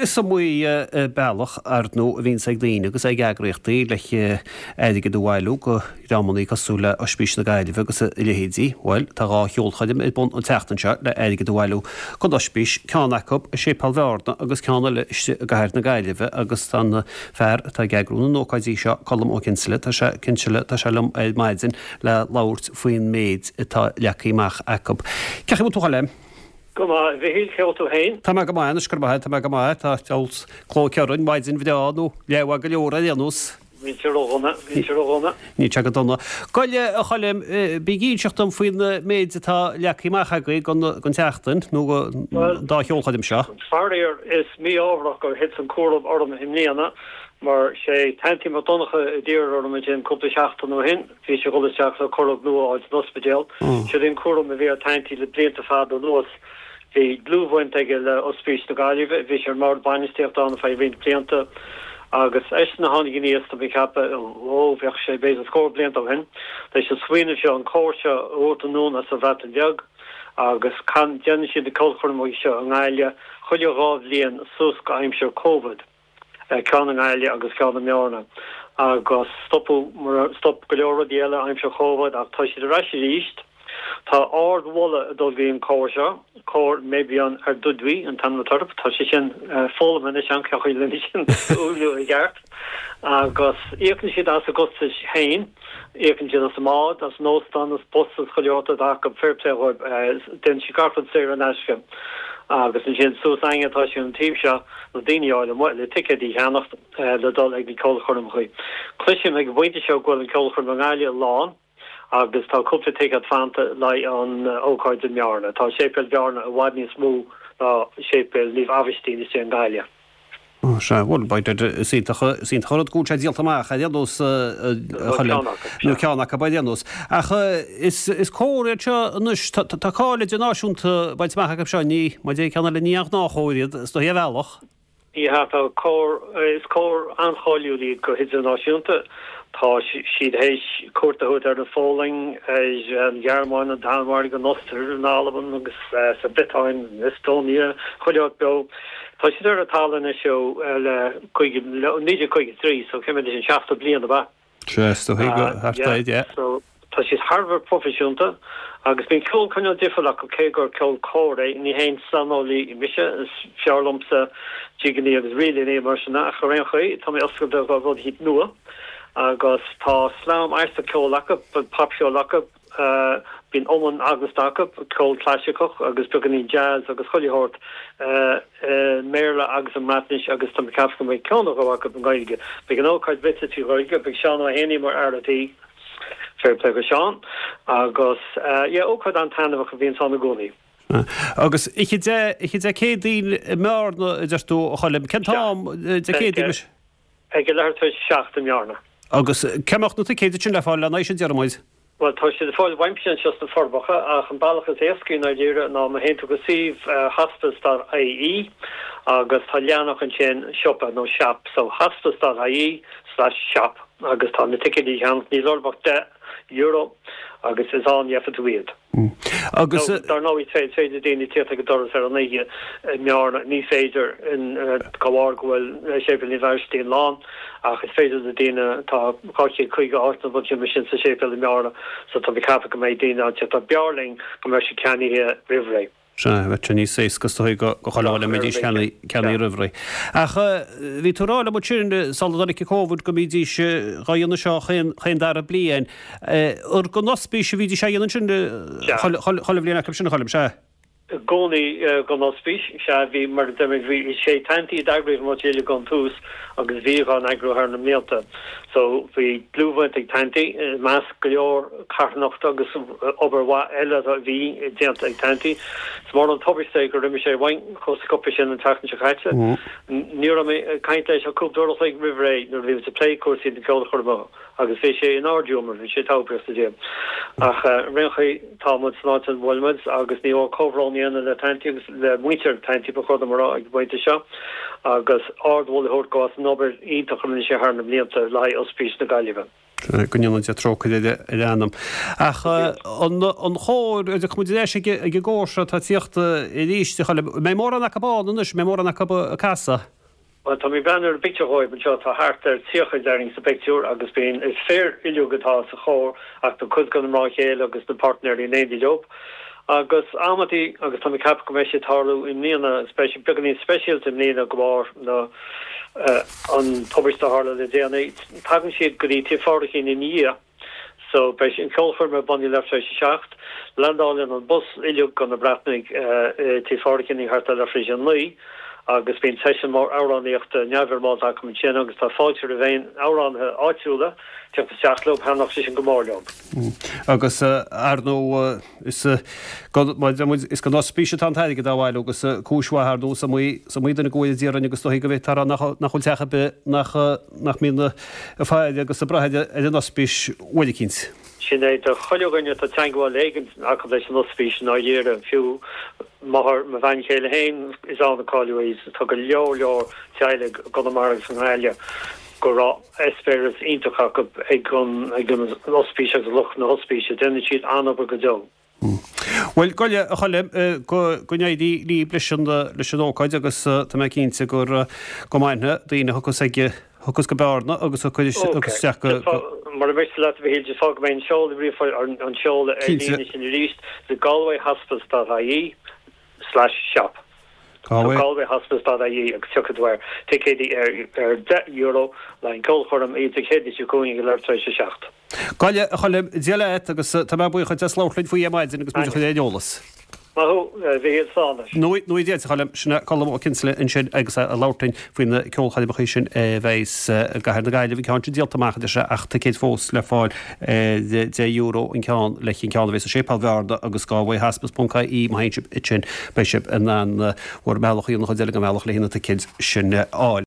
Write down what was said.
Is iomaí bealach, ar ndóigh, a bhíonns ag daoine agus ag eagraíochtaí le airgead a bhailiú do dhreamannaí cosúil le Oispís na Gaillimhe agus a leithéidí. Bhuel, tá 2 cheolchoirm ar bun an tseachtain seo le airgead a bhailiú don Oispís, ceann acu i Séipéal Bhearna agus ceann eile istigh i gcathair na Gaillimhe agus tá an fear atá ag eagrú na n-ócáidí seo, Colm Ó Cinnseala, tá sé, Cinnseala, tá sé liom ar maidin le labhairt faoin méid atá leagtha amach acu. Cén chaoi a bhfuil tú a Choilm? Go maith, a Mhichíl, cén chaoi a bhfuil tú féin? Tá mé go maith anois, go raibh maith agat, tá mé go maith, tá deabhal clóic orainn, maidin bhreá nó leathmhaith go leor ar aon nós. Níl sé ródhona, níl sé ródhona. Níl sé go dona. Gabh i leith, a Choilm, bí ag inseacht dom faoin méid atá leagtha amach agaibh don tseachtain, nó don dá cheolchoirm seo. Faraor, is mí-ádhmharach gur thit an cúram orm i mbliana, mar sé Tanty Mac Donncha a d'iarr orm ansin cúpla seachtain ó shin, Bhí sé ag dul isteach le corróg nua a fháil san ospidéal. Siod é an cúram a bhí ar Tanty le blianta fada anuas. Bhí dlúthbhaint aige le Ospís na Gaillimhe, bhí sé ar an mbord bainistíochta ann ar feadh roinnt blianta agus eisean a tháinig aníos, tá mé ag ceapadh, ó, bheadh sé b'fhéidir scór blianta ó shin, leis an smaoineamh seo, an cór seo a thabhairt anonn as an Bhreatain Bheag agus can, déanann siad na ceolchoirmeacha seo i nGaillimh chuile dhá bhliain suas go aimsir Covid. ceann i nGaillimh agus ceann i mBearna agus stopadh mar stop go leor rudaí eile aimsir Chóvid ach tá siad ar ais arís. Tá ard-mholadh ag dul go dtí an cór seo, Cór Meibion Ardudwy an t-ainm atá orthu. Tá sé sin foghlamtha anois agam cén chaoi lena sin a fhuaimniú i gceart agus íocann siad as a gcostais féin. Íocann siad as an mbád, as an óstán, as bus, as chuile shórt atá acu, fair play dhóibh, déanann siad gach rud saor in aisce. Agus ansin suas againne atá sé an taobh seo, na daoine a fháil amuigh le ticéidí a cheannacht le dul ag na ceolchoirmeacha. Cloisim ag an bpointe seo go bhfuil an ceolchoirm i nGaillimh lán agus tá cúpla ticéad fanta le haghaidh an ócáid i mBearna. Tá Séipéal Bhearna i bhfad níos mó ná Séipéal Naomh Aibhistín istigh i nGaillimh. Ó sea, bhuel, is iontach, is iontach an rud go bhfuil sé díolta amach ar aon nós, a Choilm, nó ceann acu ar aon nós. Ach is, is cór iad seo anois, tá, tá cáil idirnáisiúnta bainte amach acu seo, ní, mar a deir ceann eile, ní aon ghnáthchór iad, is dóigh ar bhealach. Ní hea, tá cór, is cór an-cháiliúil iad go hidirnáisiúnta. Tá siad théis cuairt a thabhairt ar an Pholainn, ar an Ghearmáin, an Danmhairg, an Ostair, an Albain agus sa Bhriotáin, Estonia, chuile áit beo. Tá siad ar an talamh anois ó le 1953 so cé mhéad é sin, 70 bliain ab ea? Sea, is dóigh go thart air, yeah. So tá siad thar a bheith proifisiúnta agus bíonn ceol cineál difriúil acu cé gur ceol cóir é. Ní haon saineolaí mise, is fearr liomsa jigeannaí agus ríleannaí mar sin ach ar aon chaoi tá mé oscailte do rudaí nua agus tá sleam aisteach ceoil acu, popcheol acu, Bíonn iomann eaglasta acu, ceol claisiceach agus beagáinín jazz agus chuile shórt i mBéarla agus i mBreatnais agus tá mé ag ceapadh go mbeidh ceann nó dhó acu i nGaeilge. Beidh an ócáid rite trí Ghaeilge, beidh Seán Ó hÉanaí mar fhear a' tí, fair play go Seán, agus yeah, ócáid an-taitneamhach a bhíonns ann i gcónaí. Agus oíche Dé, oíche Dé Céadaoin i mBearna, a deir tú, a Choilm. Cén t-am Dé Céadaoin anois? Ag a leathuair tar éis a 7 i mBearna. Agus cá mbeadh na ticéid sin le fáil lena aghaidh sin, déarfaidh muid? Bhuel, tá siad le fáil uaimse anseo sna Forbacha, ach an bealach is éascaí i ndáiríre ná má théann tú go suíomh hospice dot ie agus tá leathanach ansin siopa nó shop, so hospice dot ie slash shop agus tá na ticéid le ceannach, níl orthu ach €10 agus is ann gheobhaidh tú iad. Agus. Dar ndóigh, is féidir le daoine tíocht ag an doras ar an oíche i mBearna. Ní féidir de bharr go bhfuil Séipéal Naomh Aibhistín lán, ach is féidir le daoine, tá 250 áit nó rud mar sin sa séipéal i mBearna, so tá mé ag ceapadh go mbeidh daoine ann tíocht. Ach b'fhearr linn go mbeadh siad ceannaithe roimh ré. Sea, bheadh sé níos éasca is dóigh go chuile dhuine mbeidís ceannaithe roimh ré. Ach bhí tú ag rá liom ansin sula dtáinig an Covid go mbídís dhá dhéanamh seo chaon dara bliain. Ar don ospís a bhídís á dhéanamh ansin chuile bhliain acu sin, a Choilm, sea? I gcónaí don ospís, sea, bhí, mar a deir mé, bhí, sé Tanty a d'eagraigh an rud uilig ón tús agus bhíodh á n-eagrú thar na mblianta. So bhí dlúthbhaint ag Tanty, i measc go leor carthanachta agus obair mhaith eile a bhí déanta ag Tanty. Is mór an tubaiste é gur imigh sé uainn chomh sciobtha sin an tseachtain seo caite. Ní raibh mé ag caint leis ach cúpla uair a chloig roimh ré nuair a bhí muid ag plé cúrsaí na ceolchoirme agus bhí sé in ard-ghiúmar, bhí sé togha sa Dia. Ach ar aon chaoi, tá muid san áit ina bhfuil muid agus ní mór comhbhrón a dhéanamh le Tanty agus le muintir Tanty ba chóir dom a rá ag an bpointe seo agus ardmholadh a thabhairt dó as an obair iontach a rinne sé thar na blianta le haghaidh Ospís na Gaillimhe. Go ndéana Dia trócaire ar a anam. Ach an chór, tiocfaidh muid ar ais ag an gcór seo atá ag tíocht arís, a Choilm. Mbeidh mórán acu ann anois, mbeidh mórán acu ag casadh? Bhuel, tá mé ag breathnú ar an bpictiúr dhóibh anseo, tá thart ar 30 déarfainn sa bpictiúr agus bíonn, is fir uilig atá sa chór ach tá cuid de na mná chéile agus na páirtnéirí in éindí leo. Agus amantaí, agus tá mé ag ceapadh go mbeidh sé ag tarlú i mbliana, is beidh sé beagáinín speisialta i mbliana de bharr na, an tubaiste a tharla le déanaí, tagann siad go dtí Tigh Phádraigín ina dhiaidh. So, beidh an ceolchoirm ar bun ag leathuair tar éis a 7. Landálann an bus uilig go na Breatnaigh i Tigh Phádraigín thart ar leathuair tar éis a 9 agus bíonn seisiún mór amhránaíochta neamhfhoirmeálta acu ansin agus tá fáilte roimh aon amhránaithe áitiúla teacht isteach leo, thaitneodh sé sin go mór leo. Agus, ar ndóigh, Is don ospís atá an t-airgead á bhailiú agus cúis mhaith ar ndóigh is iomaí is iomaí duine go bhfuil a d'iarrainn agus dóichí go bhféadfá a rá nach nach bhfuil teach ar bith nach nach mbíonn ag faire agus ag brath ar an ospís uair eicínt. Sin é, do chuile dhuine atá teangmháil éigin acu leis an ospís i ndáiríre, fiú máthair mo bhean chéile féin, is ann a cailleadh í, tá go leor leor teaghlaigh i gConamara agus i nGaillimh go raibh eispéireas iontach acu ag an ospís agus lucht na hospíse. Déanann siad an-obair go deo. Bhuel, go leith, a Choilm, go n-éirí libh leis an leis an ócáid agus tá mé cinnte gur go mbainfidh daoine a thiocfas ag thiocfas go Bearna agus a thiocfas isteach go. Mura miste leat, a Mhichíl, just fágfaidh mé an seoladh ríomhphoist, an seoladh ar líne sin arís, the galwayhospice dot ie slash shop. Galway. Galwayhospice dot ie agus tiocfaidh tú ar ticéidí ar €10 le haghaidh an ceolchoirm Dé Céadaoin seo chugainn ag leathuair tar éis a 7. Go leith, a Choilm, Dia leat agus tá mé buíoch duit as labhairt linn faoi ar maidin agus muid a chur ar an eolas. Maith thú, a Mhichíl, slán leis. Nuair a Dia duit, a Choilm, sin é Colm Ó Cinnseala ansin agus é ag labhairt linn faoi na ceolchoirmeacha sin a bheas i gcathair na Gaillimhe, an ceann sin díolta amach a deir sé ach ticéid fós le fáil ar €10 an ceann leis an ceann a bheas i Séipéal Bhearna agus galwayhospice ponc ie má théann sibh ansin beidh sibh in ann bhur mbealach a dhéanamh an chuid eile den bhealach le na ticéid sin a fháil.